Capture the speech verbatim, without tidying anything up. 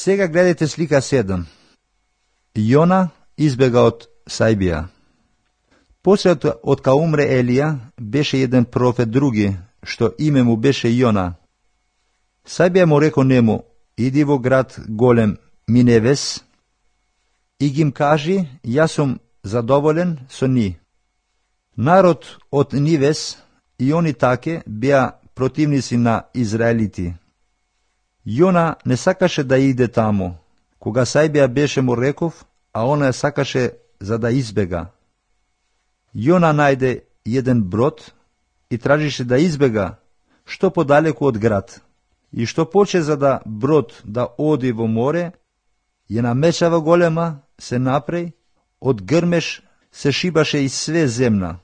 Сега гледайте слика седум. Јона избега од Сајбија. После од кога умре Елија, беше еден профет други, што име му беше Јона. Сајбија му реко нему: иди во град голем Миневес и гим кажи: јас сум задоволен со ни. Народ од Нивес и они таке беа противници на израелити. Јона не сакаше да иде таму. Кога Сајбија беше му реков, а она сакаше за да избега. Јона најде еден брод и тражише да избега што подалеку од град. И што поче за да брод да оди во море, ја намечава голема, се напреј, од грмеш се шибаше и све земна.